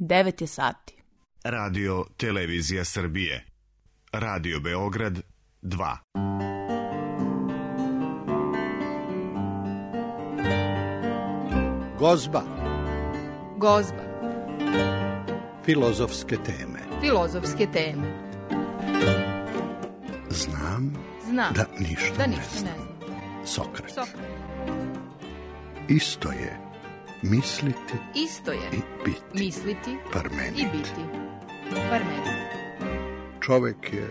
9 je sati. Radio Televizija Srbije. Radio Beograd 2. Gozba. Gozba. Filozofske teme. Filozofske teme. Znam da ništa ne znam. Sokrat. Isto je misliti i biti. Misliti Parmenid. i biti. Parmenid. Čovek je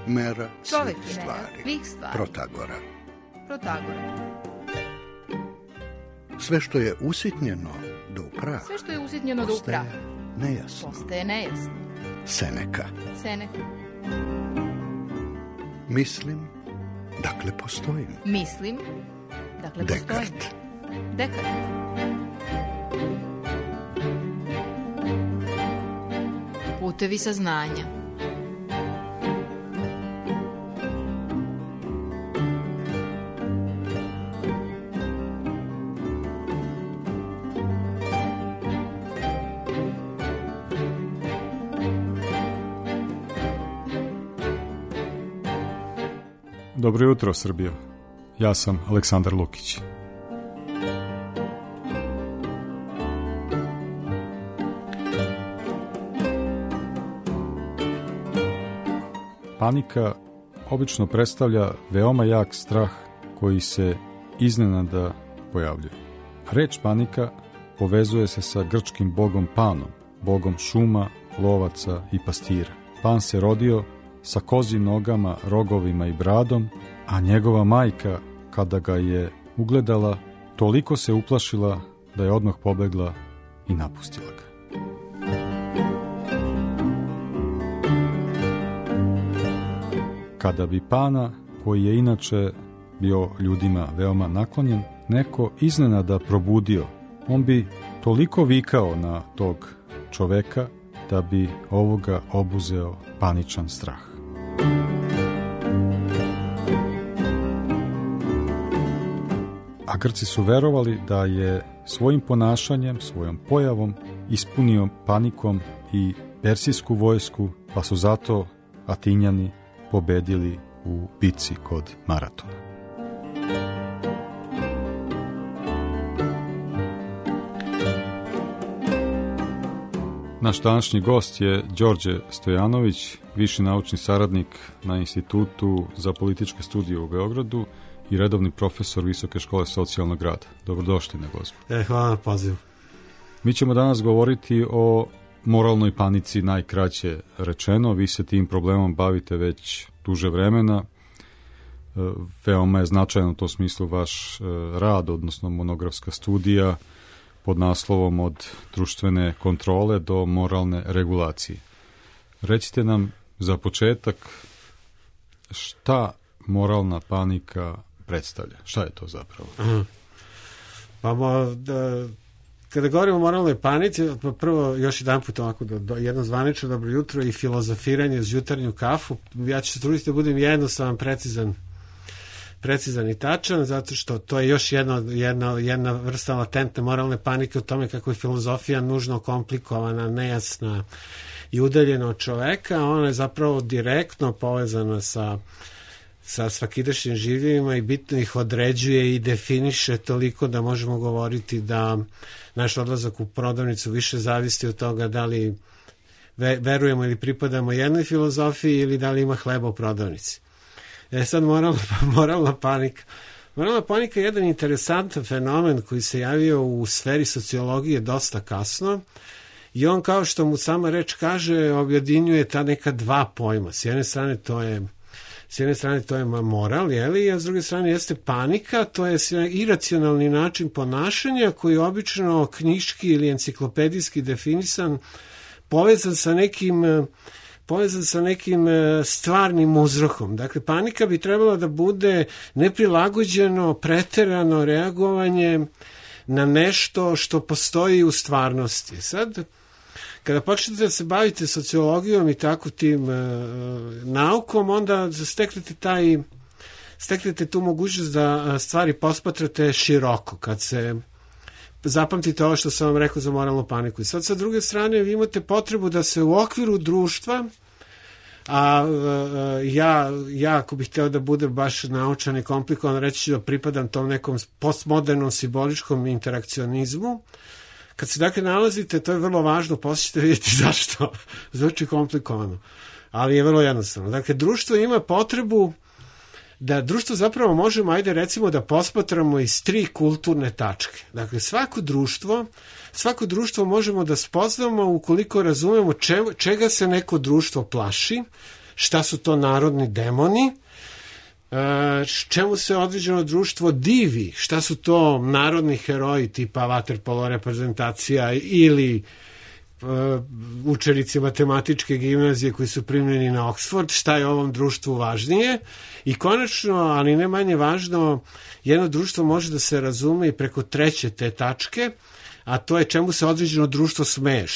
mera Čovek svih je mera stvari. svih stvari. Protagora. Sve što je usitnjeno do prah. Sve što je usitnjeno do prah. Postaje nejasno. Seneka. Mislim, dakle postojim. Dekart. Putevi saznanja. Dobro jutro, Srbijo. Ja sam Aleksandar Lukić. Panika obično predstavlja veoma jak strah koji se iznenada pojavljuje. Reč panika povezuje se sa grčkim bogom Panom, bogom šuma, lovaca i pastira. Pan se rodio sa kozjim nogama, rogovima i bradom, a njegova majka, kada ga je ugledala, toliko se uplašila da je odmah pobegla i napustila ga. Kada bi Pana, koji je inače bio ljudima veoma naklonjen, neko iznenada probudio, on bi toliko vikao na tog čoveka da bi ovoga obuzeo paničan strah. A Grci su verovali da je svojim ponašanjem, svojom pojavom ispunio panikom i persijsku vojsku, pa su zato Atinjani pobedili u bici kod Maratona. Naš današnji gost je Đorđe Stojanović, viši naučni saradnik na Institutu za političke studije u Beogradu i redovni profesor Visoke škole socijalnog rada. Dobrodošli na Gozbu. Hvala na pozivu. Mi ćemo danas govoriti o moralnoj panici, najkraće rečeno. Vi se tim problemom bavite već duže vremena. Veoma je značajan u tom smislu vaš rad, odnosno monografska studija pod naslovom Od društvene kontrole do moralne regulacije. Recite nam za početak šta moralna panika predstavlja? Šta je to zapravo? Kada govorimo o moralnoj panici, prvo još jedan put ovako jedno zvanično dobro jutro i filozofiranje uz jutarnju kafu. Ja ću se truditi da budem jednostavan, precizan i tačan, zato što to je još jedna vrsta latentne moralne panike u tome kako je filozofija nužno komplikovana, nejasna i udaljena od čoveka. Ona je zapravo direktno povezana sa svakidašnjim življivima i bitno ih određuje i definiše toliko da možemo govoriti da naš odlazak u prodavnicu više zavisi od toga da li verujemo ili pripadamo jednoj filozofiji ili da li ima hleba u prodavnici. Sad moralna panika. Moralna panika je jedan interesantan fenomen koji se javio u sferi sociologije dosta kasno i on, kao što mu sama reč kaže, objedinjuje ta neka dva pojma. S jedne strane to je moral, a s druge strane jeste panika, to je iracionalni način ponašanja koji je obično knjiški ili enciklopedijski definisan, povezan sa nekim stvarnim uzrokom. Dakle, panika bi trebala da bude neprilagođeno, preterano reagovanje na nešto što postoji u stvarnosti. Sad, kada počnete da se bavite sociologijom i tako tim naukom, onda steknete tu mogućnost da stvari posmatrate široko. Kad se zapamtite ovo što sam vam rekao za moralnu paniku. I sad sa druge strane vi imate potrebu da se u okviru društva, ja ako bih hteo da bude baš naučan i komplikovan, reći ću da pripadam tom nekom postmodernom simboličkom interakcionizmu. Kad se dakle nalazite, to je vrlo važno, poslije ćete vidjeti zašto. Zvuči komplikovano, ali je vrlo jednostavno. Dakle, društvo ima potrebu da društvo zapravo možemo, ajde recimo da posmatramo iz 3 kulturne tačke. Dakle, svako društvo možemo da spoznamo ukoliko razumemo čega se neko društvo plaši, šta su to narodni demoni, čemu se određeno društvo divi, šta su to narodni heroji tipa vaterpolo reprezentacija ili učenici matematičke gimnazije koji su primljeni na Oxford, šta je ovom društvu važnije. I konačno, ali ne manje važno, jedno društvo može da se razume i preko 3. te tačke, a to je čemu se određeno društvo smeje,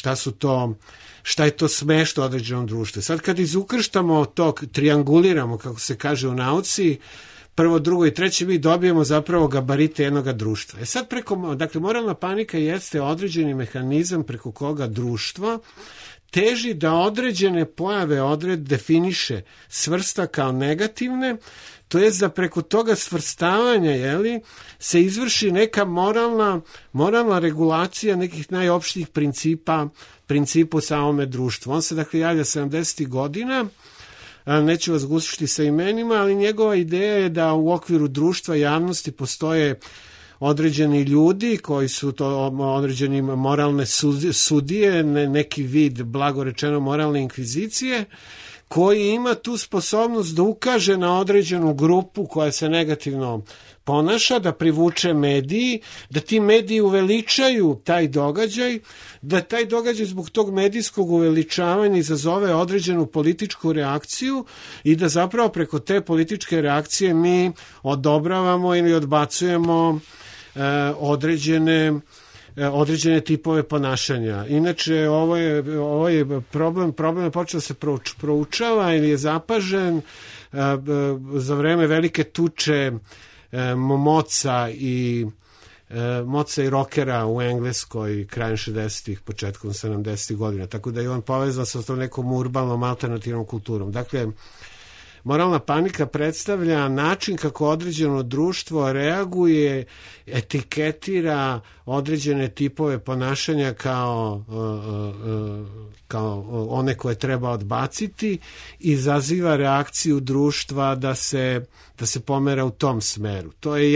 šta je to smešno određenom društvu. Sad kad izukrštamo to, trianguliramo, kako se kaže u nauci, 1., 2. i 3. mi dobijemo zapravo gabarite jednog društva. Sad dakle, moralna panika jeste određeni mehanizam preko koga društvo teži da određene pojave definiše, svrsta kao negativne, to jest da preko toga svrstavanja se izvrši neka moralna regulacija nekih najopštijih principa u samome društvu. On se dakle javlja 70. godina, neću vas gušiti sa imenima, ali njegova ideja je da u okviru društva javnosti postoje određeni ljudi koji su to određeni moralne sudije, neki vid, blago rečeno, moralne inkvizicije, koji ima tu sposobnost da ukaže na određenu grupu koja se negativno ponaša, da privuče mediji, da ti mediji uveličaju taj događaj, da taj događaj zbog tog medijskog uveličavanja izazove određenu političku reakciju i da zapravo preko te političke reakcije mi odobravamo ili odbacujemo određene tipove ponašanja. Inače, ovo je problem je počeo da se proučava ili je zapažen za vreme velike tuče moca i rokera u Engleskoj krajem 60-ih, početkom 70-ih godina. Tako da je on povezan sa tom nekom urbanom alternativnom kulturom. Dakle, moralna panika predstavlja način kako određeno društvo reaguje, etiketira određene tipove ponašanja kao one koje treba odbaciti i izaziva reakciju društva da se pomera u tom smeru. To je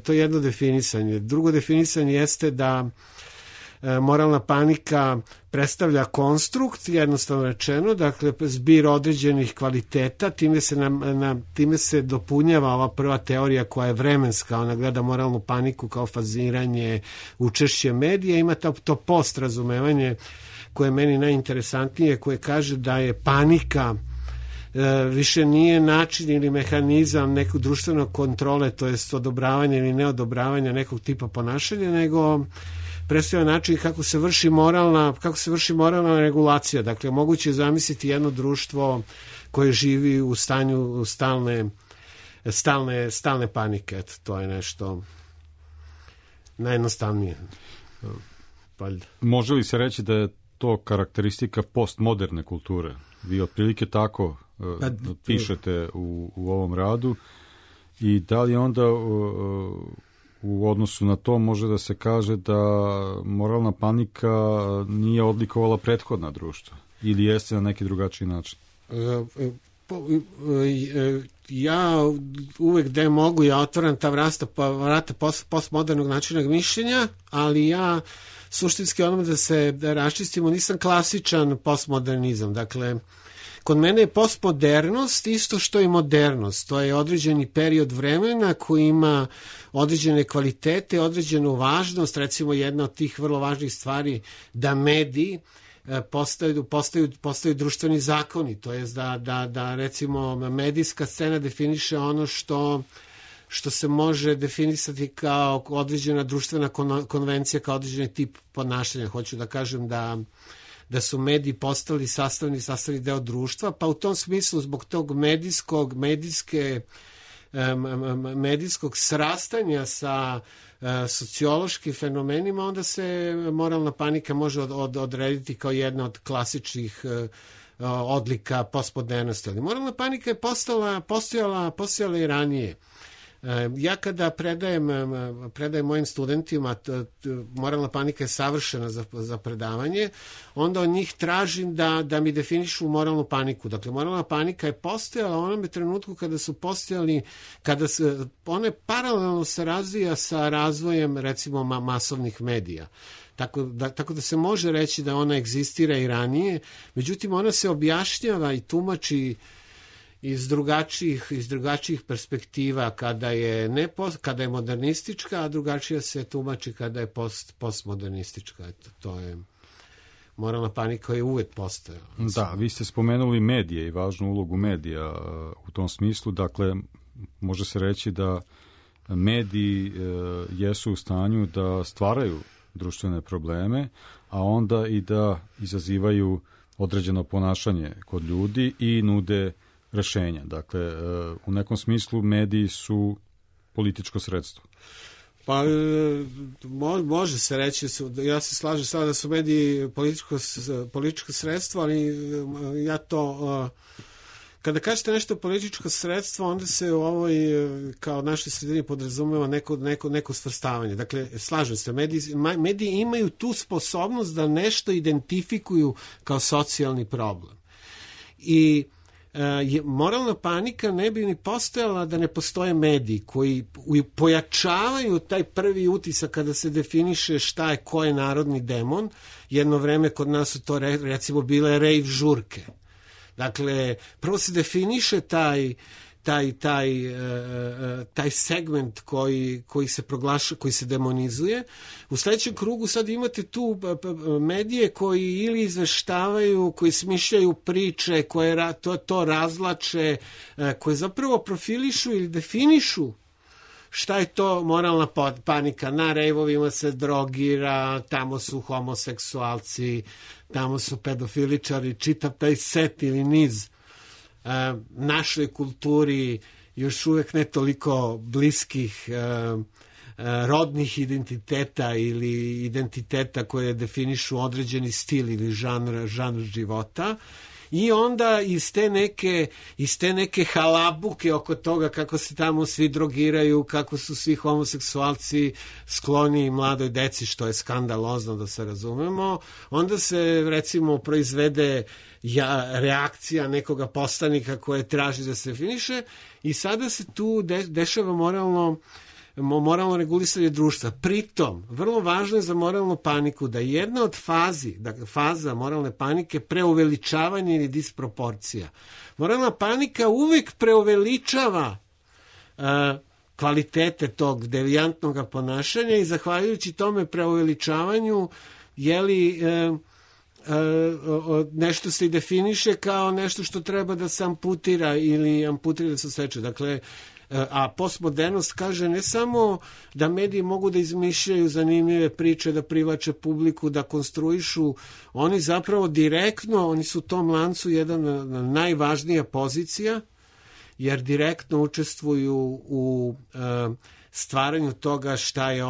jedno definisanje. Drugo definisanje jeste da moralna panika predstavlja konstrukt, jednostavno rečeno, dakle zbir određenih kvaliteta, time se dopunjava ova prva teorija koja je vremenska, ona gleda moralnu paniku kao faziranje, učešće medija, ima to postrazumevanje koje je meni najinteresantnije, koje kaže da je panika više nije način ili mehanizam nekog društvenog kontrole, to jest odobravanja ili neodobravanja nekog tipa ponašanja, nego predstavlja način kako se vrši moralna regulacija. Dakle, moguće je zamisliti jedno društvo koje živi u stanju stalne panike. Eto, to je nešto najjednostavnije. Može li se reći da je to karakteristika postmoderne kulture? Vi otprilike tako pišete u ovom radu i da li onda u odnosu na to može da se kaže da moralna panika nije odlikovala prethodna društva ili jeste na neki drugačiji način? Ja uvek gde mogu ja otvaram ta vrata postmodernog načina mišljenja, ali ja suštinski onome da raščistimo, nisam klasičan postmodernizam. Dakle, kod mene je postmodernost isto što i modernost. To je određeni period vremena koji ima određene kvalitete, određenu važnost. Recimo, jedna od tih vrlo važnih stvari da mediji postaju društveni zakoni. To je da recimo medijska scena definiše ono što se može definisati kao određena društvena konvencija, kao određeni tip ponašanja. Hoću da kažem da su mediji postali sastavni deo društva, pa u tom smislu zbog tog medijske medijskog srastanja sa sociološkim fenomenima, onda se moralna panika može odrediti kao jedna od klasičnih odlika postmodernosti. Ali moralna panika je postojala i ranije. Ja kada predajem mojim studentima, moralna panika je savršena za predavanje, onda od njih tražim da mi definišu moralnu paniku. Dakle, moralna panika je postojala u onome trenutku kada su postojali, ona paralelno se razvija sa razvojem, recimo, masovnih medija. Tako da se može reći da ona egzistira i ranije, međutim ona se objašnjava i tumači iz drugačijih perspektiva kada je modernistička, a drugačija se tumači kada je postmodernistička. To je moralna panika koja je uvek postojala. Da, vi ste spomenuli medije i važnu ulogu medija u tom smislu. Dakle, može se reći da mediji jesu u stanju da stvaraju društvene probleme, a onda i da izazivaju određeno ponašanje kod ljudi i nude rešenja. Dakle, u nekom smislu mediji su političko sredstvo. Pa, može se reći, ja se slažem sada da su mediji političko sredstvo, ali ja to... Kada kažete nešto političko sredstvo, onda se u ovoj, kao našoj sredini, podrazumeva neko svrstavanje. Dakle, slažem se, mediji imaju tu sposobnost da nešto identifikuju kao socijalni problem. I moralna panika ne bi ni postojala da ne postoje mediji koji pojačavaju taj prvi utisak kada se definiše šta je ko je narodni demon. Jedno vreme kod nas su to recimo bile rave žurke. Dakle, prvo se definiše taj segment koji se proglaša, koji se demonizuje. U sledećem krugu sad imate tu medije koji ili izveštavaju, koji smišljaju priče, koje to razlače, koje zapravo profilišu ili definišu šta je to moralna panika. Na rejvovima se drogira, tamo su homoseksualci, tamo su pedofiličari, čitav taj set ili niz našoj kulturi još uvek ne toliko bliskih rodnih identiteta ili identiteta koje definišu određeni stil ili žanr života. I onda iz te neke halabuke oko toga kako se tamo svi drogiraju, kako su svi homoseksualci skloni mladoj deci, što je skandalozno, da se razumemo, onda se recimo proizvede reakcija nekoga poslanika koje traži da se definiše i sada se tu dešava moralno regulisanje društva. Pritom, vrlo važno je za moralnu paniku da jedna od faza moralne panike preuveličavanje ili disproporcija. Moralna panika uvek preuveličava kvalitete tog devijantnog ponašanja i zahvaljujući tome preuveličavanju nešto se i definiše kao nešto što treba da se amputira ili amputira da se seče. Dakle, a postmodernost kaže ne samo da mediji mogu da izmišljaju zanimljive priče, da privlače publiku, da konstruišu, oni zapravo direktno, oni su u tom lancu jedan najvažnija pozicija, jer direktno učestvuju u stvaranju toga šta je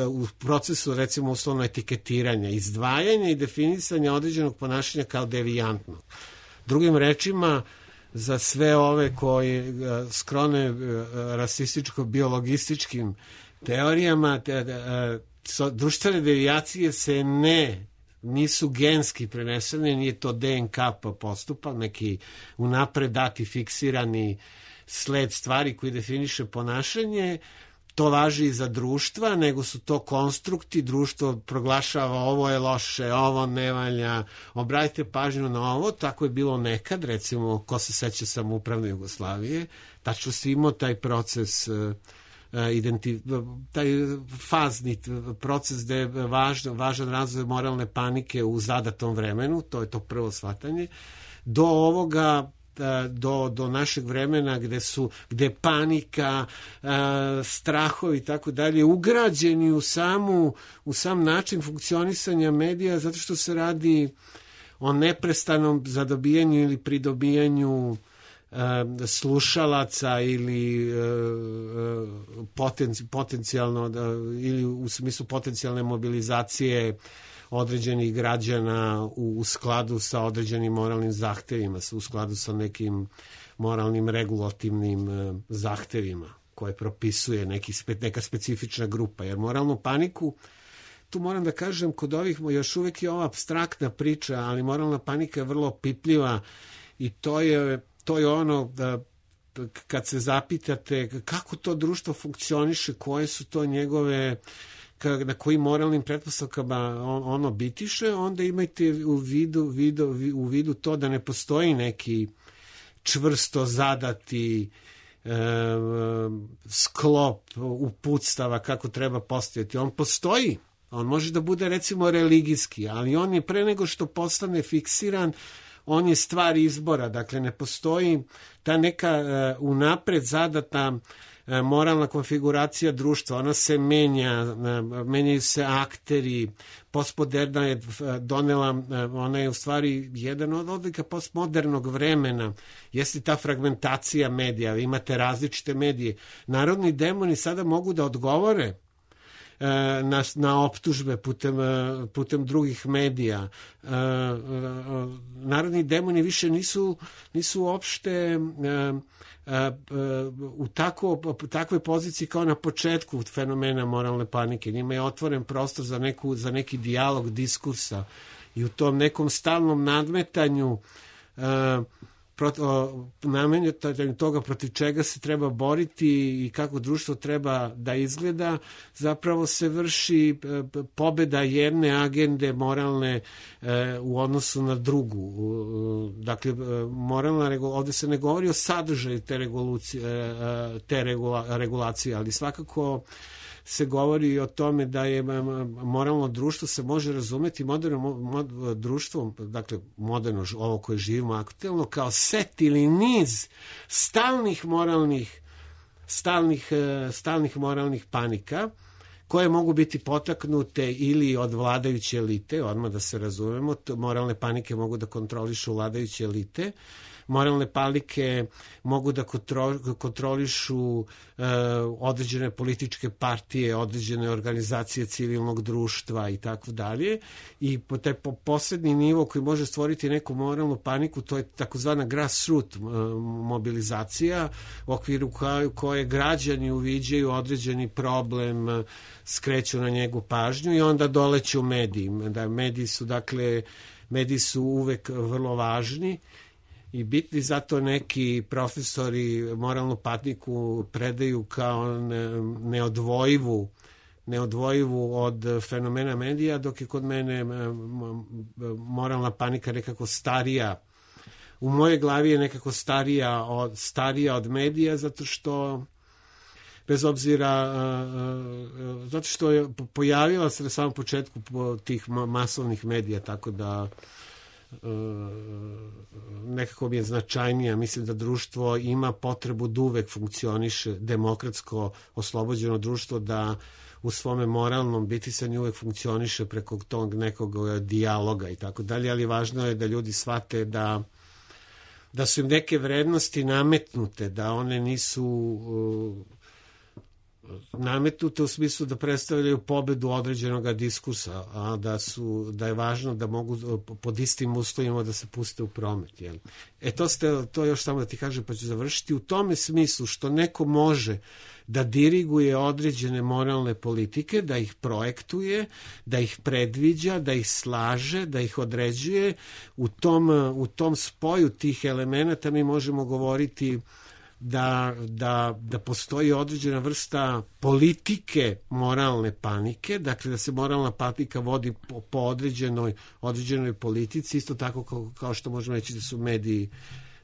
u procesu, recimo, uslovno etiketiranja, izdvajanja i definisanja određenog ponašanja kao devijantnog. Drugim rečima, za sve ove koji skrone rasističko-biologističkim teorijama, društvene devijacije se nisu genski prenesene, nije to DNK postupak, neki unapred dati fiksirani sled stvari koji definiše ponašanje. To važi i za društva, nego su to konstrukti, društvo proglašava ovo je loše, ovo ne valja, obratite pažnju na ovo, tako je bilo nekad, recimo, ko se seća samoupravne Jugoslavije, tačno si imao taj proces, taj fazni proces gde je važan razvoj moralne panike u zadatom vremenu, to je to prvo shvatanje, do ovoga, do našeg vremena gde panika, strahovi i tako dalje ugrađeni u sam način funkcionisanja medija, zato što se radi o neprestanom zadobijanju ili pridobijanju slušalaca ili potencijalno ili u smislu potencijalne mobilizacije određenih građana u skladu sa određenim moralnim zahtevima, u skladu sa nekim moralnim regulativnim zahtevima koje propisuje neka specifična grupa. Jer moralnu paniku, tu moram da kažem, kod ovih još uvijek je ova apstraktna priča, ali moralna panika je vrlo opipljiva i to je ono da kad se zapitate kako to društvo funkcioniše, koje su to njegove, na kojim moralnim pretpostavkama ono bitiše, onda imajte u vidu to da ne postoji neki čvrsto zadati sklop uputstava kako treba postojati. On postoji, on može da bude recimo religijski, ali on je pre nego što postane fiksiran, on je stvar izbora, dakle ne postoji ta neka unapred zadata moralna konfiguracija društva, ona se menjaju se akteri, postmoderna je donela, ona je u stvari jedan od odlika postmodernog vremena, jeste ta fragmentacija medija, vi imate različite medije. Narodni demoni sada mogu da odgovore na optužbe putem drugih medija. Narodni demoni više nisu uopšte u takvoj poziciji kao na početku fenomena moralne panike. Njima je otvoren prostor za neki dijalog diskursa i u tom nekom stalnom nadmetanju toga protiv čega se treba boriti i kako društvo treba da izgleda, zapravo se vrši pobeda jedne agende moralne u odnosu na drugu. Dakle, ovdje se ne govori o sadržaju te regulacije, ali svakako se govori o tome da je moralno društvo se može razumeti moderno društvom, dakle moderno ovo koje živimo aktuelno, kao set ili niz stalnih moralnih panika koje mogu biti potaknute ili od vladajuće elite, odmah da se razumemo, moralne panike mogu da kontrolišu vladajuće elite, moralne panike mogu da kontrolišu određene političke partije, određene organizacije civilnog društva i tako dalje. I taj poslednji nivo koji može stvoriti neku moralnu paniku, to je takozvana grassroots mobilizacija u okviru koje građani uviđaju određeni problem, skreću na njegu pažnju i onda doleću medijima. Mediji su uvek vrlo važni i bitni, zato neki profesori moralnu paniku predaju kao neodvojivu od fenomena medija, dok je kod mene moralna panika nekako starija. U mojoj glavi je nekako starija od medija, zato što bez obzira, zato što je pojavila se na samom početku tih masovnih medija, tako da nekako mi je značajnija. Mislim da društvo ima potrebu da uvek funkcioniše, demokratsko oslobođeno društvo, da u svome moralnom bitisanju uvek funkcioniše preko tog nekog dijaloga i tako dalje, ali važno je da ljudi shvate da su im neke vrednosti nametnute, da one nisu nametnute u smislu da predstavljaju pobedu određenog diskursa, a da je važno da mogu pod istim uslovima da se puste u promet. Jel? To još samo da ti kažem, pa ću završiti. U tome smislu što neko može da diriguje određene moralne politike, da ih projektuje, da ih predviđa, da ih slaže, da ih određuje, u tom spoju tih elemenata mi možemo govoriti da postoji određena vrsta politike moralne panike, dakle da se moralna panika vodi po određenoj politici, isto tako kao što možemo reći da su mediji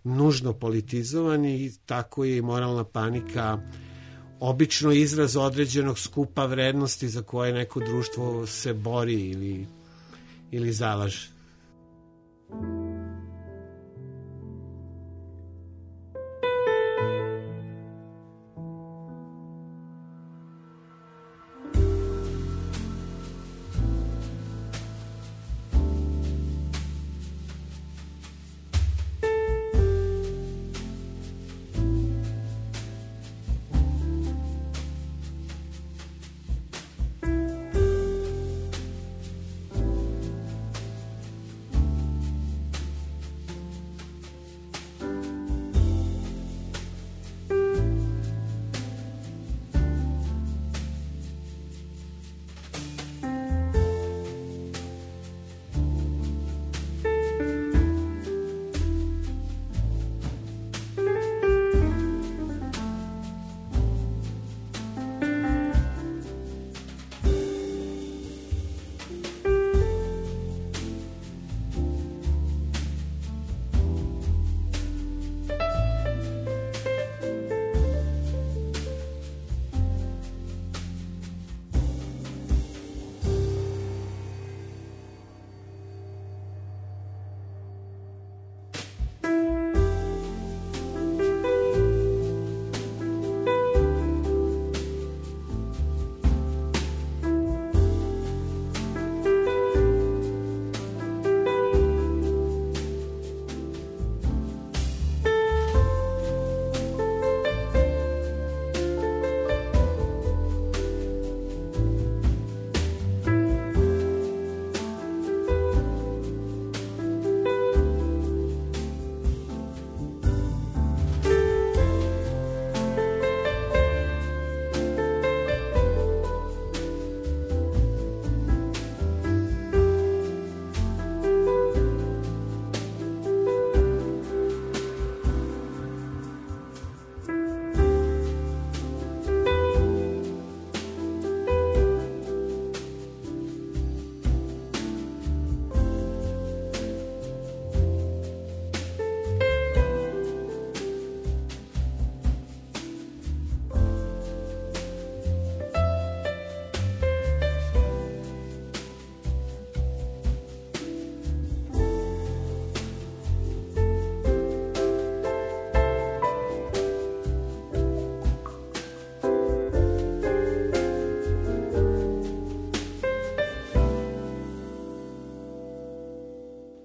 nužno politizovani, i tako je i moralna panika obično izraz određenog skupa vrednosti za koje neko društvo se bori ili zalaže.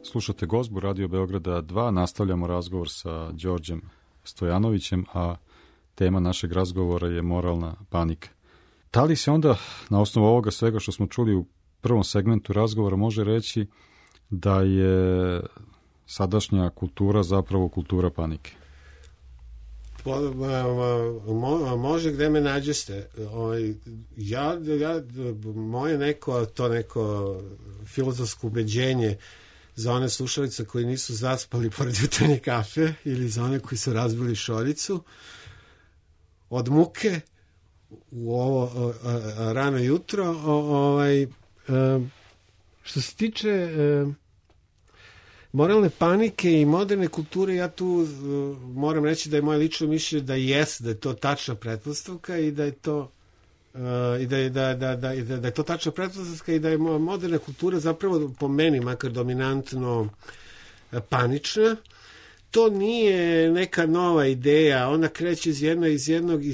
Slušate Gozbu Radio Beograda 2, nastavljamo razgovor sa Đorđem Stojanovićem, a tema našeg razgovora je moralna panika. Da li se onda, na osnovu ovoga svega što smo čuli u prvom segmentu razgovora, može reći da je sadašnja kultura zapravo kultura panike? Može, gde me nađeste. Moje neko filozofsko ubeđenje za one slušalice koji nisu zaspali pored jutarnje kafe ili za one koji su razbili šoljicu od muke u ovo rano jutro. Što se tiče moralne panike i moderne kulture, ja tu moram reći da je moje lično mišljenje da je to tačna pretpostavka i da je to da je to tačna pretpostavka i da je moderna kultura zapravo po meni makar dominantno panična. To nije neka nova ideja, ona kreće iz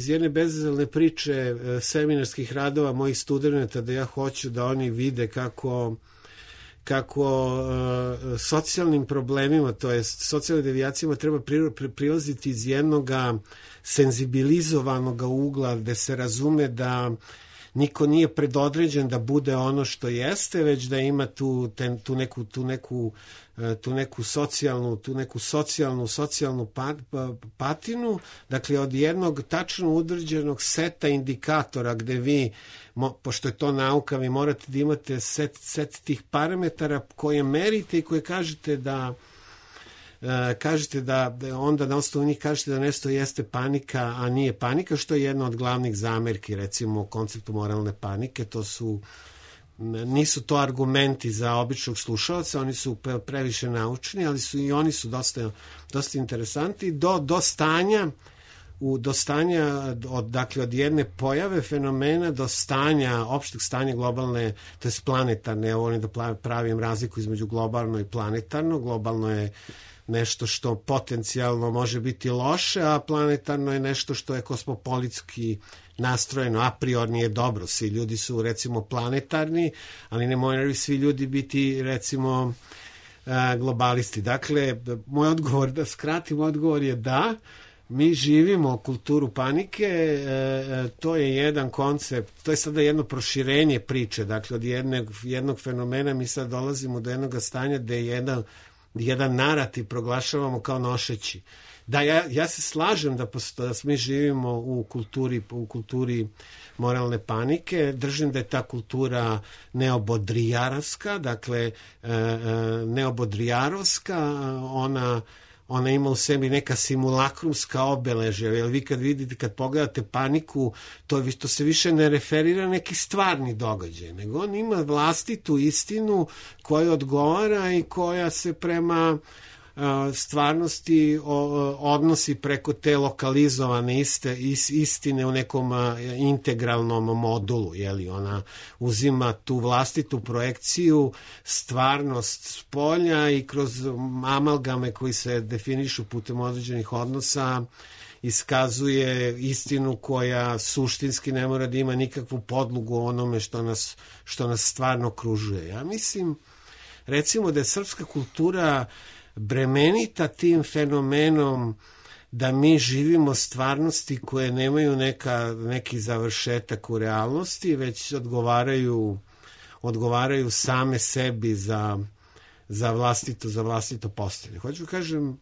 jedne bezazlene priče seminarskih radova mojih studenata, da ja hoću da oni vide kako socijalnim problemima, to je socijalnim devijacijama treba prilaziti iz jednog senzibilizovanog ugla, gde se razume da niko nije predodređen da bude ono što jeste, već da ima tu neku socijalnu patinu, dakle od jednog tačno udrđenog seta indikatora gde vi, pošto je to nauka, vi morate da imate set tih parametara koje merite i koje kažete da onda na osnovu njih kažete da nešto jeste panika, a nije panika, što je jedna od glavnih zamerki, recimo, konceptu moralne panike. Nisu to argumenti za običnog slušalca, oni su previše naučni, ali oni su dosta interesanti do stanja, dakle od jedne pojave fenomena do stanja, opšteg stanja globalne, to je planetarne. Ja volim da pravim razliku između globalno i planetarno. Globalno je nešto što potencijalno može biti loše, a planetarno je nešto što je kosmopolitski nastrojeno, a priorni je dobro. Svi ljudi su, recimo, planetarni, ali ne moraju svi ljudi biti, recimo, globalisti. Dakle, moj odgovor, da skratim, odgovor je da, mi živimo kulturu panike, to je jedan koncept, to je sada jedno proširenje priče, dakle, od jednog fenomena mi sad dolazimo do jednog stanja gde jedan narativ proglašavamo kao nošeći. Da, ja se slažem da mi živimo u kulturi moralne panike. Držim da je ta kultura neobodrijarovska, dakle neobodrijarovska, ona ima u sebi neka simulakrumska obeležja, jer vi kad pogledate paniku, to se više ne referira na neki stvarni događaj, nego on ima vlastitu istinu koja odgovara i koja se prema stvarnosti odnosi preko te lokalizovane istine u nekom integralnom modulu, jeli, ona uzima tu vlastitu projekciju, stvarnost spolja i kroz amalgame koji se definišu putem određenih odnosa iskazuje istinu koja suštinski ne mora da ima nikakvu podlogu o onome što nas stvarno okružuje. Ja mislim, recimo, da je srpska kultura bremenita tim fenomenom da mi živimo stvarnosti koje nemaju neki završetak u realnosti, već odgovaraju same sebi za vlastito postojanje. Hoću kažem,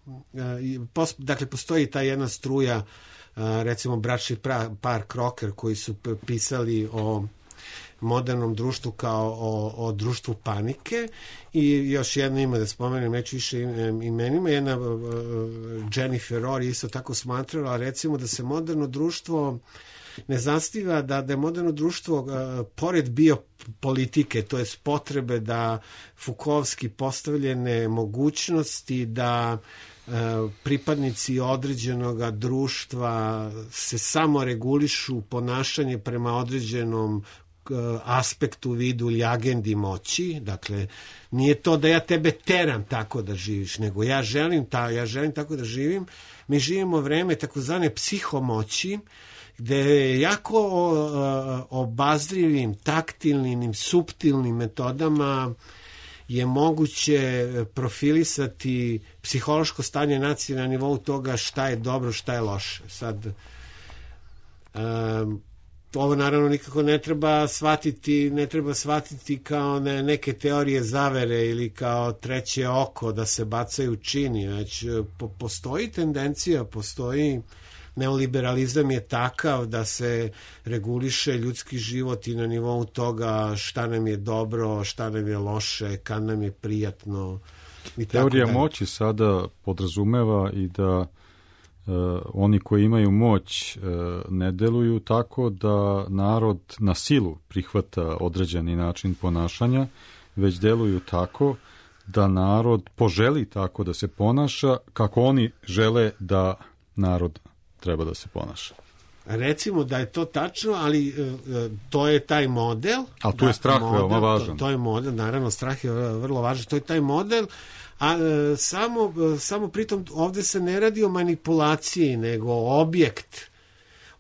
dakle, postoji ta jedna struja, recimo bračni par Crocker, koji su pisali o modernom društvu kao o društvu panike, i još jedno ime da spomenem, neću više imenima, jedna Jennifer Rohr isto tako smatrala, recimo, da se moderno društvo ne zasniva, da je moderno društvo pored biopolitike, to je potrebe da Foucaultski postavljene mogućnosti da pripadnici određenog društva se samo regulišu ponašanje prema određenom aspektu, vidu ili agendi moći. Dakle, nije to da ja tebe teram tako da živiš, nego ja želim tako da živim. Mi živimo vreme takozvane psihomoći, gde je jako obazrivim, taktilnim, suptilnim metodama je moguće profilisati psihološko stanje nacije na nivou toga šta je dobro, šta je loše. Sad, ovo naravno nikako ne treba shvatiti kao neke teorije zavere ili kao treće oko da se bacaju čini, već postoji tendencija, neoliberalizam je takav da se reguliše ljudski život i na nivou toga šta nam je dobro, šta nam je loše, kad nam je prijatno. Teorija moći sada podrazumeva i da oni koji imaju moć ne deluju tako da narod na silu prihvata određeni način ponašanja, već deluju tako da narod poželi tako da se ponaša kako oni žele da narod treba da se ponaša. Recimo da je to tačno, ali to je taj model. Ali tu je strah veoma važan. To je model, naravno strah je vrlo važan, to je taj model, a samo pritom ovde se ne radi o manipulaciji, nego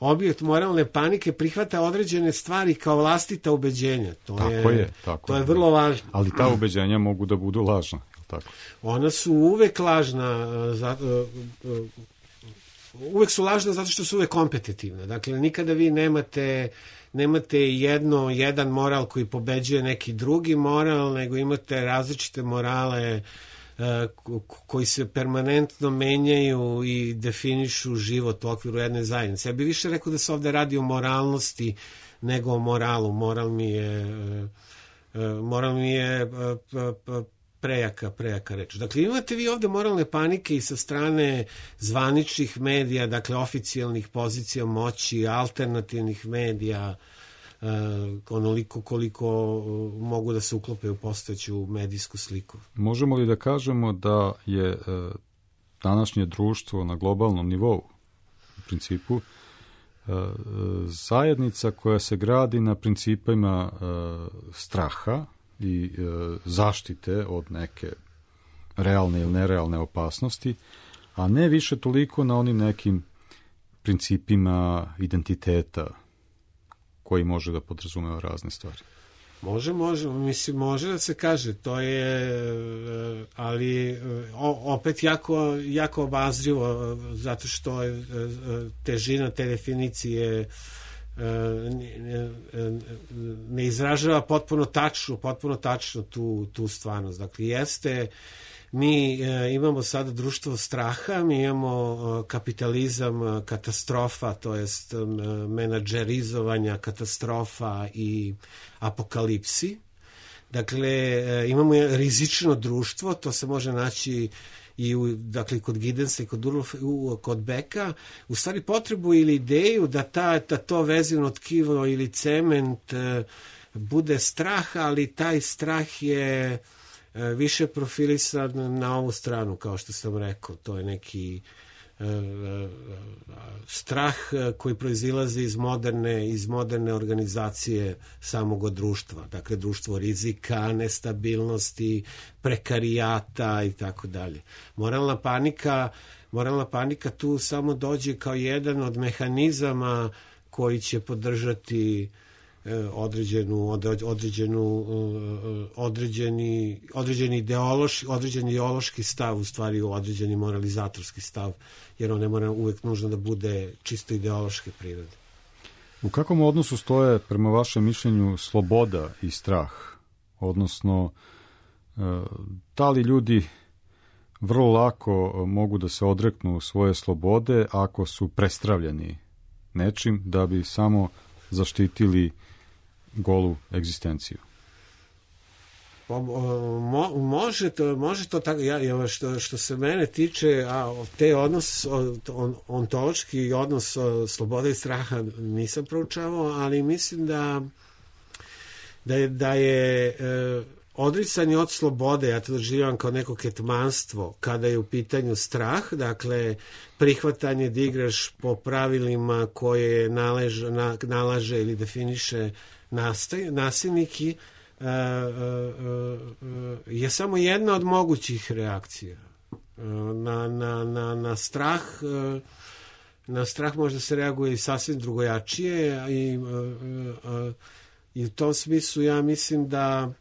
objekt moralne panike prihvata određene stvari kao vlastita ubeđenja. To je vrlo važno. Ali ta ubeđenja mogu da budu lažna. Tako. Ona su uvek lažna, uvek su lažna zato što su uvek kompetitivne. Dakle, nikada vi nemate jedan moral koji pobeđuje neki drugi moral, nego imate različite morale koji se permanentno menjaju i definišu život u okviru jedne zajednice. Ja bih više rekao da se ovde radi o moralnosti nego o moralu. Moral mi je prejaka reč. Dakle, imate vi ovde moralne panike i sa strane zvaničnih medija, dakle, oficijalnih pozicija moći, alternativnih medija, onoliko koliko mogu da se uklope u postojeću medijsku sliku. Možemo li da kažemo da je današnje društvo na globalnom nivou, u principu, zajednica koja se gradi na principima straha i zaštite od neke realne ili nerealne opasnosti, a ne više toliko na onim nekim principima identiteta koji može da podrazumeva razne stvari? Može da se kaže, to je, ali opet jako obazrivo, zato što težina te definicije ne izražava potpuno tačno tu stvarnost. Dakle, mi imamo sada društvo straha, mi imamo kapitalizam katastrofa, to jest menadžerizovanja katastrofa i apokalipsi. Dakle, imamo rizično društvo, to se može naći i kod Gidensa i kod Beka, u stvari potrebu ili ideju da to vezivno tkivo ili cement bude strah, ali taj strah je više profilisan na ovu stranu, kao što sam rekao. To je neki strah koji proizilazi iz moderne organizacije samog društva. Dakle, društvo rizika, nestabilnosti, prekarijata i tako dalje. Moralna panika tu samo dođe kao jedan od mehanizama koji će podržati određeni ideološki stav, u stvari određeni moralizatorski stav, jer on ne mora uvek nužno da bude čisto ideološke prirode. U kakvom odnosu stoje, prema vašem mišljenju, sloboda i strah? Odnosno, da li ljudi vrlo lako mogu da se odreknu svoje slobode ako su prestravljeni nečim da bi samo zaštitili golu egzistenciju? Može to tako. Što se mene tiče, te odnos ontološki i odnos slobode i straha nisam proučavao, ali mislim da je odricanje od slobode, ja to doživljam kao neko ketmanstvo, kada je u pitanju strah, dakle prihvatanje da igraš po pravilima koje nalaže ili definiše nasilniki, je samo jedna od mogućih reakcija. Na strah možda se reaguje i sasvim drugojačije i u tom smislu ja mislim da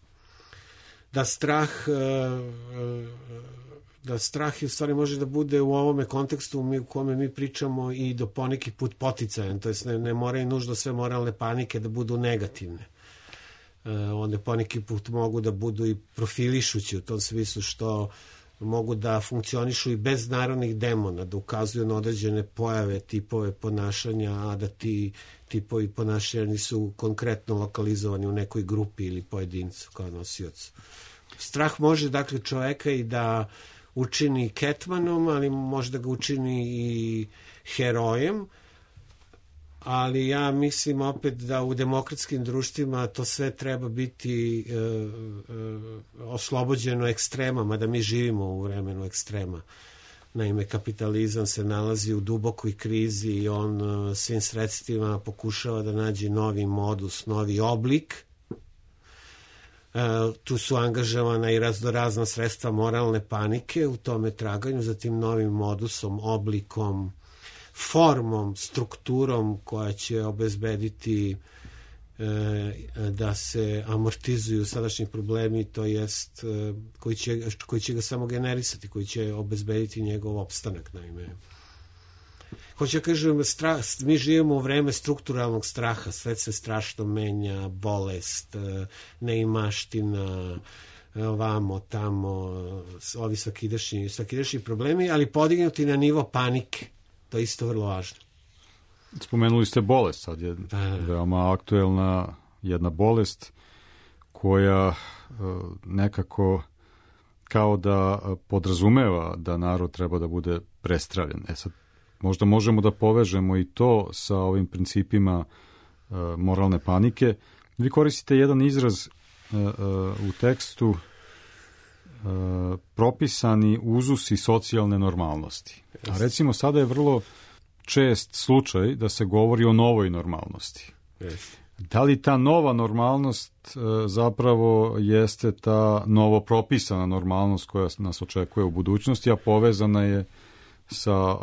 da strah u stvari može da bude u ovome kontekstu u kome mi pričamo i do poneki put poticajan, to jest ne moraju nužno sve moralne panike da budu negativne. One poneki put mogu da budu i profilišući u tom smislu što mogu da funkcionišu i bez narodnih demona, da ukazuju na određene pojave, tipove ponašanja, a da ti tipovi ponašanja nisu konkretno lokalizovani u nekoj grupi ili pojedincu kao nosiocu. Strah može dakle čoveka i da učini ketmanom, ali može da ga učini i herojem, ali ja mislim opet da u demokratskim društvima to sve treba biti oslobođeno ekstremama, da mi živimo u vremenu ekstrema. Naime, kapitalizam se nalazi u dubokoj krizi i on svim sredstvima pokušava da nađe novi modus, novi oblik. Tu su angažovana i raznorazna sredstva moralne panike u tome traganju za tim novim modusom, oblikom, formom, strukturom koja će obezbediti da se amortizuju sadašnji problemi, to jest koji će ga samo generisati, koji će obezbediti njegov opstanak. Naime, hoće kažem, mi živimo u vreme strukturalnog straha, sve se strašno menja, bolest, neimaština, ovamo, tamo, ovi svakidašnji problemi, ali podignuti na nivo panike. To je isto vrlo važno. Spomenuli ste bolest, sad je veoma aktuelna jedna bolest koja nekako kao da podrazumeva da narod treba da bude prestravljen. Sad, možda možemo da povežemo i to sa ovim principima moralne panike. Vi koristite jedan izraz u tekstu propisani uzusi socijalne normalnosti. A recimo sada je vrlo čest slučaj da se govori o novoj normalnosti. Da li ta nova normalnost zapravo jeste ta novo propisana normalnost koja nas očekuje u budućnosti, a povezana je sa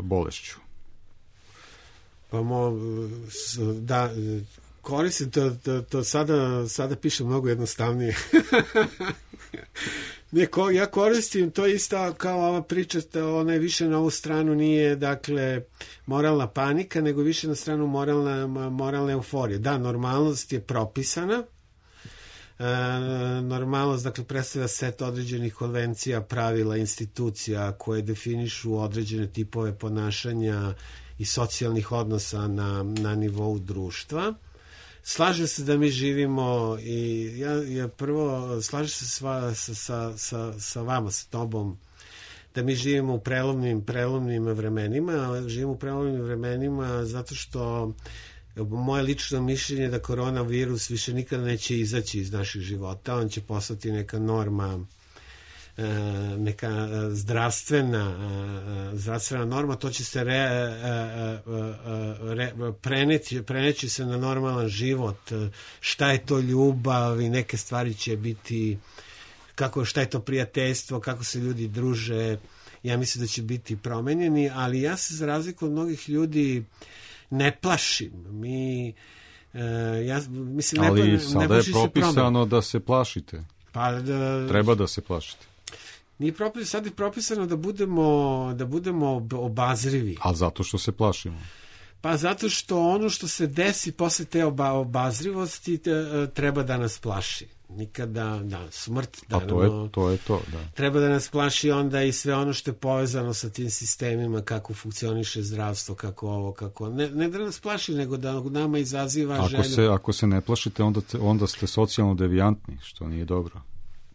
bolešću? Pa da, koristim to sada piše mnogo jednostavnije. Ja koristim to isto kao ova priča, ona je više na ovu stranu nije dakle moralna panika, nego više na stranu moralna euforija. Da, normalnost je propisana. Normalnost dakle predstavlja set određenih konvencija, pravila, institucija koje definišu određene tipove ponašanja i socijalnih odnosa na nivou društva. Slažem se da mi živimo i ja prvo slažem se sa vama, sa tobom, da mi živimo u prelovnim vremenima. Živimo u prelovnim vremenima zato što moje lično mišljenje je da koronavirus više nikada neće izaći iz naših života. On će postati neka norma, neka zdravstvena norma, to će se preneći se na normalan život. Šta je to ljubav i neke stvari će biti, šta je to prijateljstvo, kako se ljudi druže, ja mislim da će biti promenjeni, ali ja se za razliku od mnogih ljudi ne plašim. Ali sada je propisano da se plašite. Treba da se plašite. Sad je propisano da budemo obazrivi. A zato što se plašimo? Pa zato što ono što se desi posle te obazrivosti treba da nas plaši. Nikada, smrt. Pa to je to, da. Treba da nas plaši onda i sve ono što je povezano sa tim sistemima, kako funkcioniše zdravstvo, kako ovo, kako... Ne da nas plaši, nego da nama izaziva želju. Ako se ne plašite, onda ste socijalno devijantni, što nije dobro.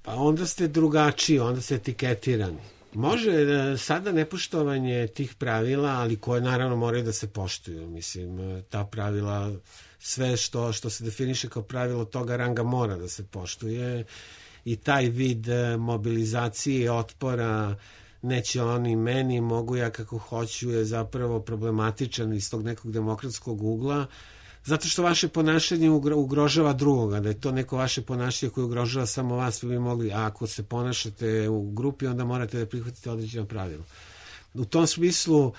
Pa onda ste drugačiji, onda ste etiketirani. Može sada nepoštovanje tih pravila, ali koje naravno moraju da se poštuju. Mislim, ta pravila, sve što se definiše kao pravilo toga ranga mora da se poštuje i taj vid mobilizacije i otpora neće oni meni, mogu ja kako hoću je zapravo problematičan iz tog nekog demokratskog ugla, zato što vaše ponašanje ugrožava drugoga, da je to neko vaše ponašanje koje ugrožava samo vas, vi bi mogli, a ako se ponašate u grupi, onda morate da prihvatite određeno pravilo. U tom smislu,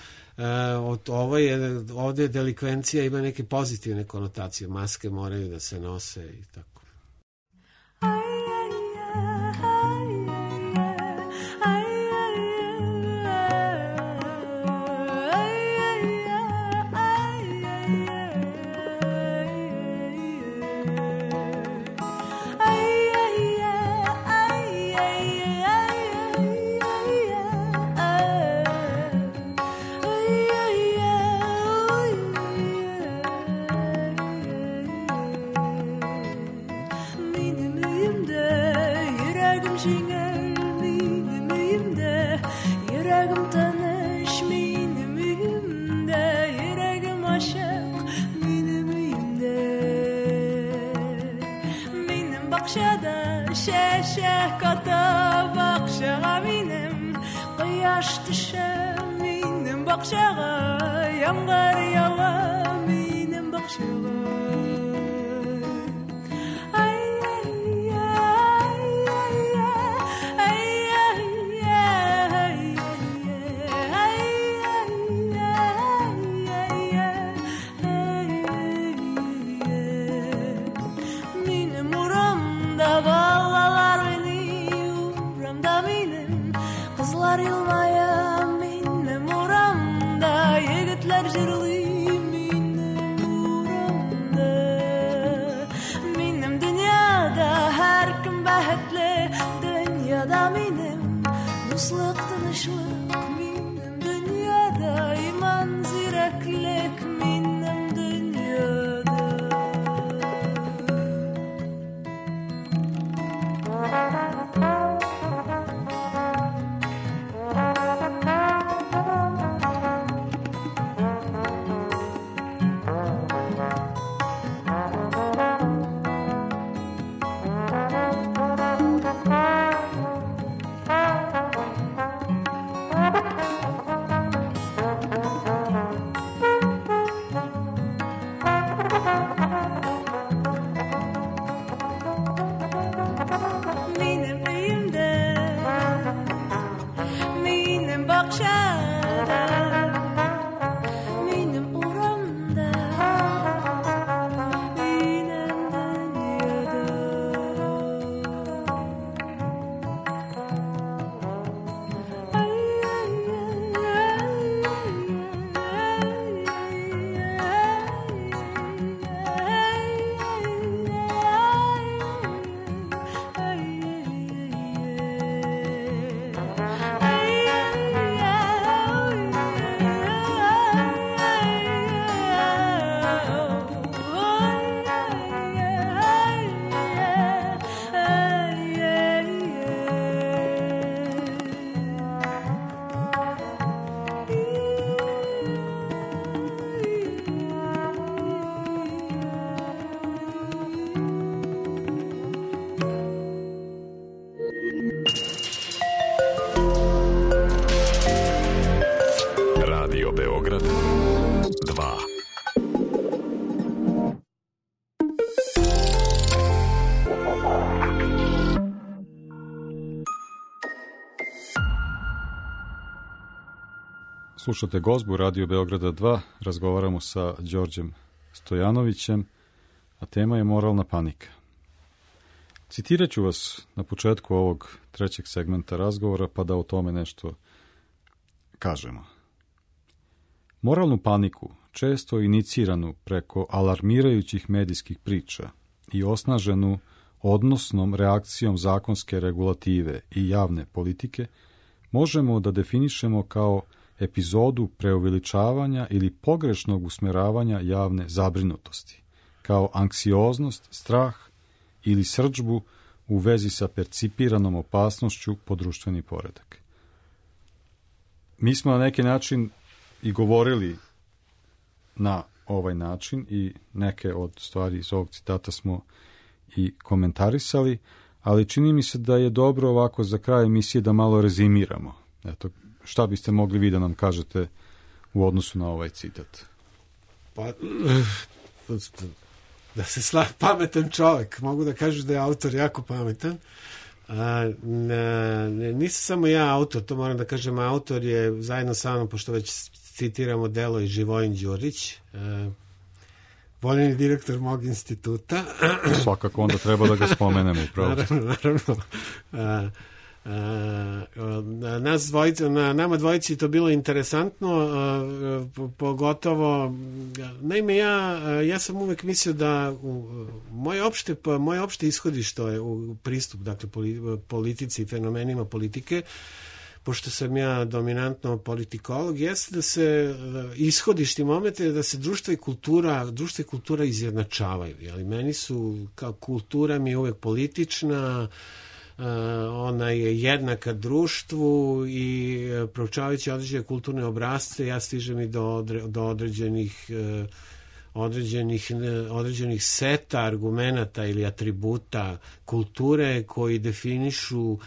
ovdje delikvencija ima neke pozitivne konotacije, maske moraju da se nose i tako. yüreğim tanış benim üyümde, yüreğim aşık benim üyümde. Benim bakşada şeşe kata bakşağa benim kıyaş düşe benim bakşağa yağmur yağa benim bakşağa. Beograd 2. Slušate Gozbu Radio Beograda 2, razgovaramo sa Đorđem Stojanovićem, a tema je moralna panika. Citirat ću vas na početku ovog trećeg segmenta razgovora, pa da o tome nešto kažemo. Moralnu paniku, često iniciranu preko alarmirajućih medijskih priča i osnaženu odnosnom reakcijom zakonske regulative i javne politike, možemo da definišemo kao epizodu preuveličavanja ili pogrešnog usmeravanja javne zabrinutosti, kao anksioznost, strah ili srdžbu u vezi sa percipiranom opasnošću po društveni poredak. Mi smo na neki način i govorili na ovaj način i neke od stvari iz ovog citata smo i komentarisali, ali čini mi se da je dobro ovako za kraj emisije da malo rezimiramo. Eto, šta biste mogli vi da nam kažete u odnosu na ovaj citat? Pa, da se pametan čovjek, mogu da kažu da je autor jako pametan. Nisam samo ja autor, to moram da kažem, autor je zajedno sa mnom, pošto već citiramo delo i Živojin Đurić, voljeni direktor mog instituta. Svakako onda treba da ga spomenemo upravo. Naravno. Nama dvojici to bilo interesantno, pogotovo, naime ja sam uvek mislio da moje opšte ishodište je u pristup, dakle, politici i fenomenima politike, pošto sam ja dominantno politikolog, jeste da se ishodišti momente da se društvo i kultura izjednačavaju. Jeli? Meni su, kao kultura mi je uvek politična, ona je jednaka društvu i proučavajući određene kulturne obrasce ja stižem i do određenih seta argumenata ili atributa kulture koji definišu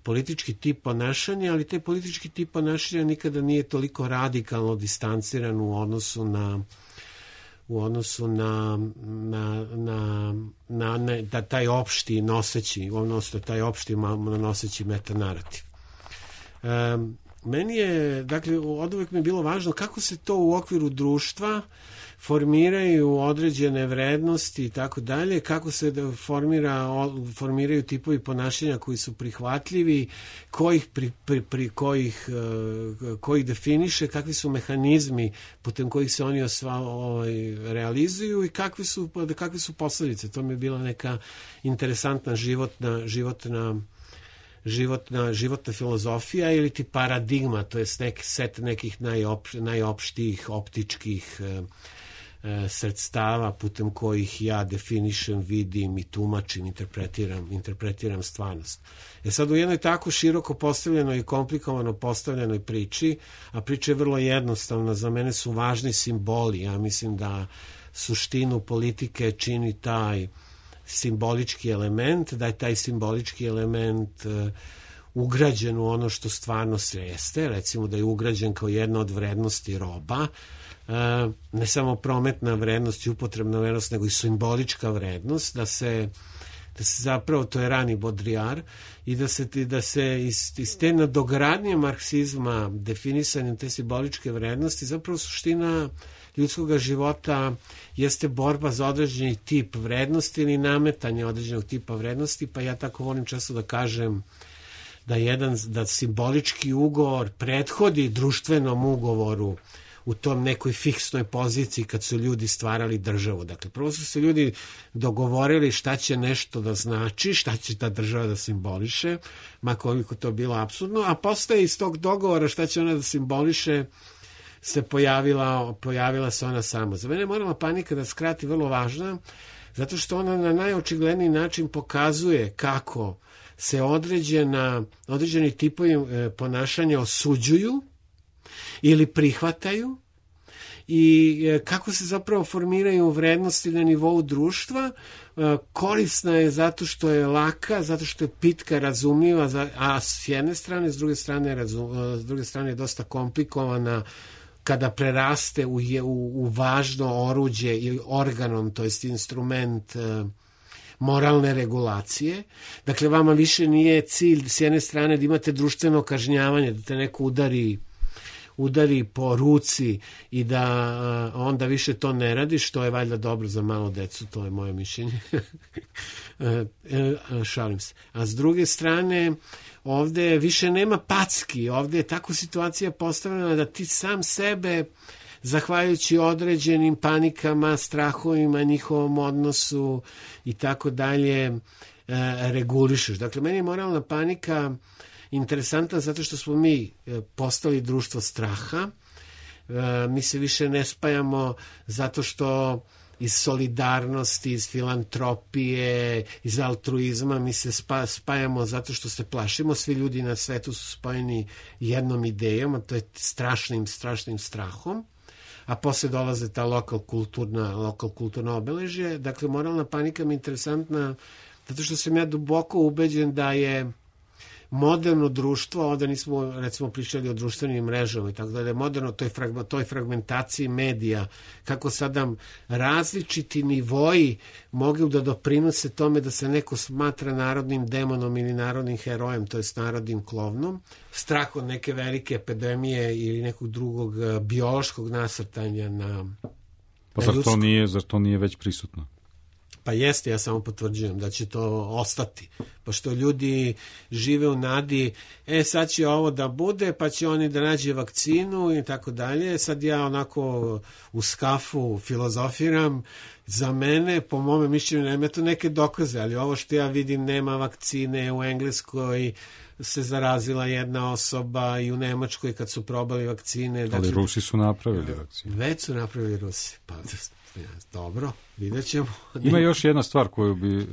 politički tip ponašanja, ali taj politički tip ponašanja nikada nije toliko radikalno distanciran u odnosu na taj opšti noseći, odnosno taj opšti noseći metanarativ. Meni je, dakle, od uvek mi je bilo važno kako se to u okviru društva formiraju određene vrednosti i tako dalje, kako se formiraju tipovi ponašanja koji su prihvatljivi, kojih definiše, kakvi su mehanizmi putem kojih se oni realizuju i kakve su posledice. To mi je bila neka interesantna životna filozofija ili ti paradigma, to je neki set nekih najopštijih optičkih sredstava putem kojih ja definišem, vidim i tumačim, interpretiram stvarnost. Sad u jednoj tako široko postavljenoj i komplikovano postavljenoj priči, a priča je vrlo jednostavna, za mene su važni simboli. Ja mislim da suštinu politike čini taj simbolički element, da je taj simbolički element ugrađen u ono što stvarno jeste, recimo da je ugrađen kao jedna od vrednosti roba, ne samo prometna vrednost i upotrebna vrednost, nego i simbolička vrednost, da se zapravo, to je rani Baudrillard, i da se iz te nadogradnje marksizma, definisanjem te simboličke vrednosti, zapravo suština ljudskog života jeste borba za određeni tip vrednosti ili nametanje određenog tipa vrednosti, pa ja tako volim često da kažem da simbolički ugovor prethodi društvenom ugovoru u tom nekoj fiksnoj poziciji kad su ljudi stvarali državu. Dakle, prvo su se ljudi dogovorili šta će nešto da znači, šta će ta država da simboliše, ma koliko to bilo apsurdno, a posle iz tog dogovora šta će ona da simboliše se pojavila se ona sama. Za mene je moralna panika, da skrati, vrlo važna, zato što ona na najočigledniji način pokazuje kako se određeni tipovi ponašanja osuđuju ili prihvataju i kako se zapravo formiraju vrednosti na nivou društva. Korisna je zato što je laka, zato što je pitka, razumljiva, a s jedne strane, s druge strane je dosta komplikovana kada preraste u važno oruđe ili organom, to jest instrument moralne regulacije. Dakle, vama više nije cilj s jedne strane da imate društveno kažnjavanje, da te neko udari po ruci i da onda više to ne radi, što je valjda dobro za malo decu, to je moje mišljenje. Šalim se. A s druge strane, ovde više nema packi, ovde je tako situacija postavljena da ti sam sebe, zahvaljujući određenim panikama, strahovima, njihovom odnosu i tako dalje, regulišeš. Dakle, meni je moralna panika interesantna zato što smo mi postali društvo straha. Mi se više ne spajamo zato što iz solidarnosti, iz filantropije, iz altruizma mi se spajamo zato što se plašimo. Svi ljudi na svetu su spojeni jednom idejom, a to je strašnim strahom. A posle dolaze ta lokal kulturna obeležje. Dakle, moralna panika mi je interesantna zato što sam ja duboko ubeđen da je moderno društvo, ovde nismo recimo pričali o društvenim mrežama i tako dalje, moderno toj fragmentaciji medija, kako sada različiti nivoji mogu da doprinose tome da se neko smatra narodnim demonom ili narodnim herojem, to jest narodnim klovnom, strah od neke velike epidemije ili nekog drugog biološkog nasrtanja na Pa zar to nije već prisutno? Pa jeste, ja samo potvrđujem da će to ostati, pošto ljudi žive u nadi, sad će ovo da bude, pa će oni da nađe vakcinu i tako dalje. Sad ja onako u skafu filozofiram, za mene, po mome mišljenju, nema to neke dokaze, ali ovo što ja vidim, nema vakcine, u Engleskoj se zarazila jedna osoba i u Nemačkoj kad su probali vakcine. Ali Rusi su napravili vakcine. Već su napravili Rusi, pa dobro, vidjet ćemo. Ima još jedna stvar koju bi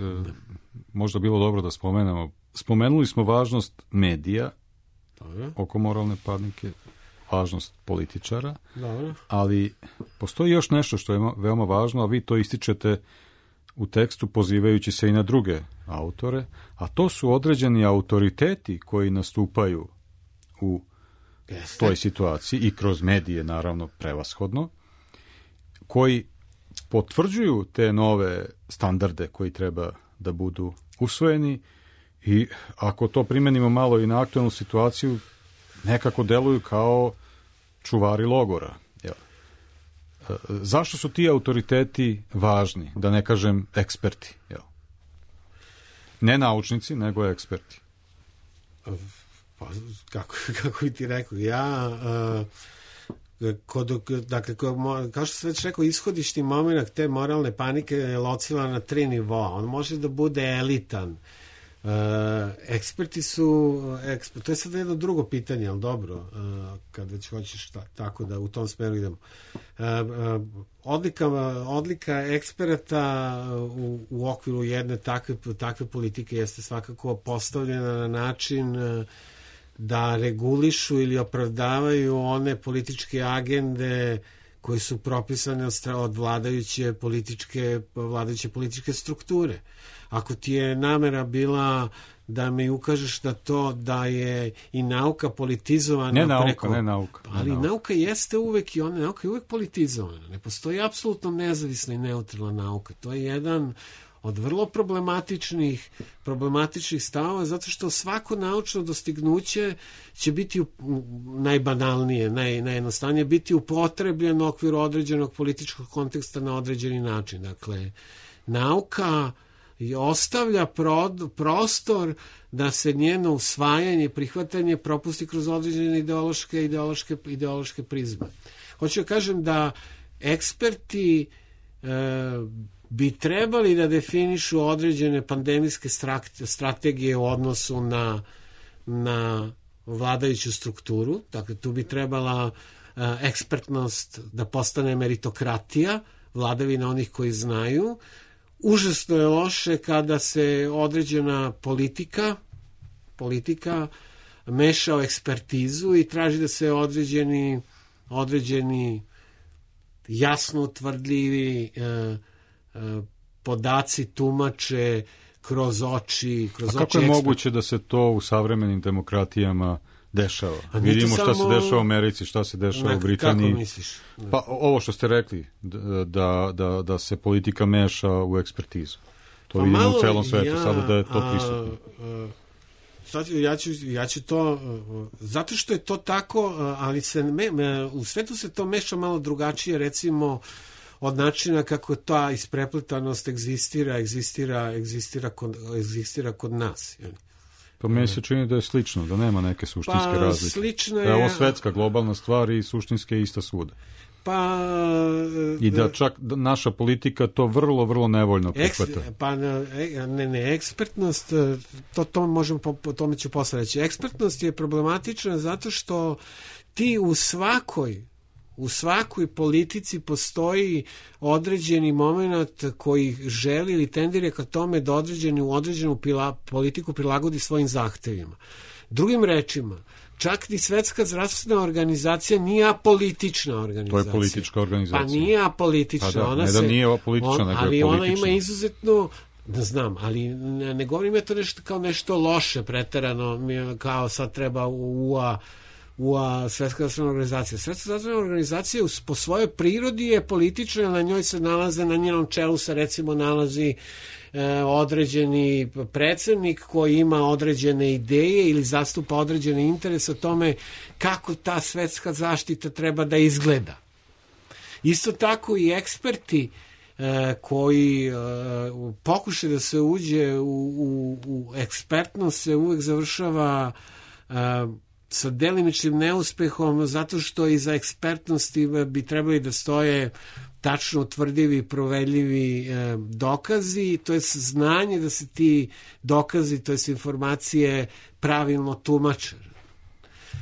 možda bilo dobro da spomenemo spomenuli smo važnost medija Dobro. oko moralne panike, važnost političara, Dobro. ali postoji još nešto što je veoma važno, a vi to ističete u tekstu pozivajući se i na druge autore, a to su određeni autoriteti koji nastupaju u toj situaciji i kroz medije, naravno, prevashodno, koji potvrđuju te nove standarde koji treba da budu usvojeni i ako to primenimo malo i na aktualnu situaciju, nekako deluju kao čuvari logora. Zašto su ti autoriteti važni, da ne kažem eksperti? Ne naučnici, nego eksperti. Pa, kako bi ti rekao, dakle, kao što sam već rekao, ishodišni moment te moralne panike je locila na 3 nivoa. On može da bude elitan. Eksperti su, to je sad jedno drugo pitanje, ali dobro, kad već hoćeš tako da u tom smeru idemo. Odlika eksperata u okviru jedne takve politike jeste svakako postavljena na način da regulišu ili opravdavaju one političke agende koje su propisane od vladajuće političke strukture. Ako ti je namera bila da mi ukažeš na to da je i nauka politizovana ne nauka. Ali nauka jeste uvek i nauka je uvek politizovana. Ne postoji apsolutno nezavisna i neutralna nauka. To je jedan od vrlo problematičnih stavova, zato što svako naučno dostignuće će biti najbanalnije, najjednostavnije, biti upotrebljeno u okviru određenog političkog konteksta na određeni način. Dakle, nauka ostavlja prostor da se njeno usvajanje i prihvatanje propusti kroz određene ideološke prizme. Hoću da kažem da eksperti bi trebali da definišu određene pandemijske strategije u odnosu na vladajuću strukturu. Dakle, tu bi trebala ekspertnost da postane meritokratija, vladavina onih koji znaju. Užasno je loše kada se određena politika meša u ekspertizu i traži da se određeni jasno utvrdljivi podaci tumače kroz oči. A kako je moguće da se to u savremenim demokratijama dešava? Vidimo šta se dešava u Americi, šta se dešava u Britaniji. Kako misliš? Pa ovo što ste rekli, da se politika meša u ekspertizu. To vidimo u celom svetu, sada da je to prisutno. Ja ću to, zato što je to tako, ali u svetu se to meša malo drugačije, recimo, od načina kako ta isprepletanost egzistira kod nas. Pa meni se čini da je slično, da nema neke suštinske razlike. Slično je... Da je ovo svetska globalna stvar i suštinske je ista svuda. I da čak naša politika to vrlo, vrlo nevoljno prihvata. Ekspertnost, po tome ću posle reći. Ekspertnost je problematična zato što ti u svakoj politici postoji određeni moment koji želi ili tendira ka tome da određenu politiku prilagodi svojim zahtevima. Drugim rečima, čak i Svetska zdravstvena organizacija nije apolitična organizacija. To je politička organizacija. Pa nije apolitična. Nije apolitična, nego je ali politična. Ona ima izuzetno, da znam, ali ne govorim je to kao nešto loše preterano, kao sad treba Svetska zdravstvena organizacija. Svetska zdravstvena organizacija po svojoj prirodi je politična, na njoj se nalaze, na njenom čelu se recimo nalazi određeni predsednik koji ima određene ideje ili zastupa određene interese o tome kako ta svetska zaštita treba da izgleda. Isto tako i eksperti koji pokušaju da se uđe u ekspertnost se uvek završava sa delimičnim neuspehom, zato što iza ekspertnosti bi trebali da stoje tačno utvrdivi, provedljivi dokazi, to je znanje da se ti dokazi, to je informacije pravilno tumače.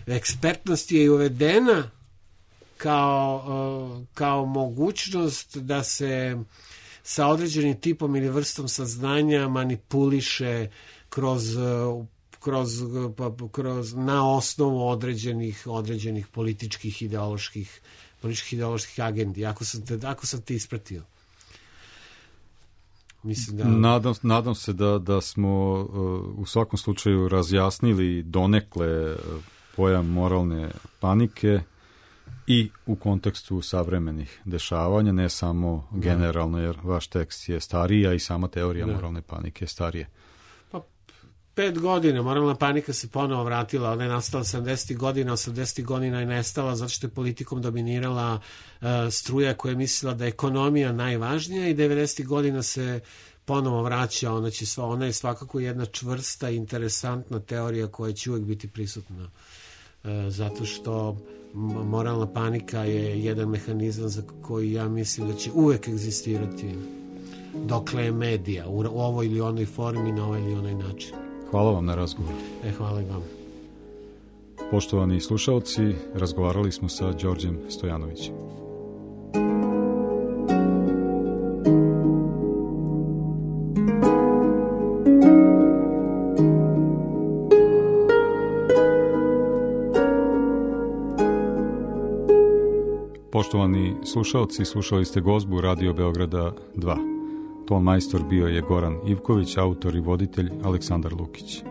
Ekspertnost je i uvedena kao mogućnost da se sa određenim tipom ili vrstom saznanja manipuliše kroz na osnovu određenih političkih ideoloških agendi, ako sam te ispratio. Mislim da... Nadam se da smo u svakom slučaju razjasnili donekle pojam moralne panike i u kontekstu savremenih dešavanja, ne samo generalno, jer vaš tekst je stariji, a i sama teorija moralne panike je starije. 5 godina, moralna panika se ponovo vratila, ona je nastala 70. godina, 80. godina je nestala zato što je politikom dominirala struja koja je mislila da je ekonomija najvažnija i 90. godina se ponovo vraća, ona je svakako jedna čvrsta, interesantna teorija koja će uvek biti prisutna. Zato što moralna panika je jedan mehanizam za koji ja mislim da će uvek egzistirati dokle je medija, u ovoj ili onoj formi, na ovaj ili onaj način. Hvala vam na razgovor. Hvala i vam. Poštovani slušalci, razgovarali smo sa Đorđem Stojanovićem. Poštovani slušalci, slušali ste gozbu Radio Beograda 2. Ton majstor bio je Goran Ivković, autor i voditelj Aleksandar Lukić.